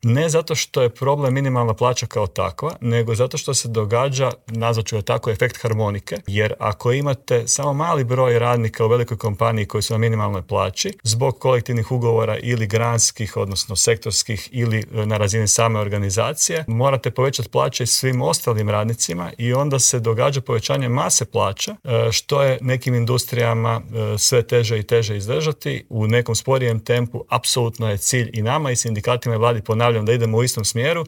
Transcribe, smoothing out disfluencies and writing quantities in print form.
Ne zato što je problem minimalna plaća kao takva, nego zato što se događa, nazvat ću je tako, efekt harmonike, jer ako imate samo mali broj radnika u velikoj kompaniji koji su na minimalnoj plaći, zbog kolektivnih ugovora ili granskih, odnosno sektorskih ili na razini same organizacije, morate povećati plaće svim ostalim radnicima i onda se događa povećanje mase plaća, što je nekim industrijama sve teže i teže izdržati. U nekom sporijem tempu apsolutno je cilj i nama i sindikatima i vladi, ponavljam, da idemo u istom smjeru,